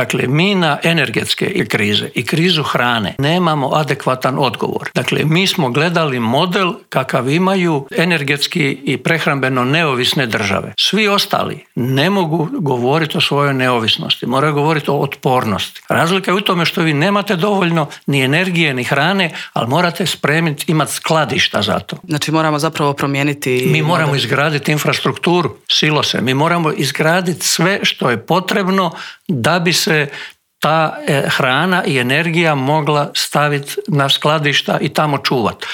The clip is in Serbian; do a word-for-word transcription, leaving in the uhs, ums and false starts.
Dakle, mi na energetske krize i krizu hrane nemamo adekvatan odgovor. Dakle, mi smo gledali model kakav imaju energetski i prehrambeno neovisne države. Svi ostali ne mogu govoriti o svojoj neovisnosti, moraju govoriti o otpornosti. Razlika je u tome što vi nemate dovoljno ni energije ni hrane, ali morate spremiti, imati skladišta za to. Znači moramo zapravo promijeniti... Mi moramo izgraditi infrastrukturu, silose, mi moramo izgraditi sve što je potrebno da bi se ta hrana i energija mogla staviti na skladišta i tamo čuvati.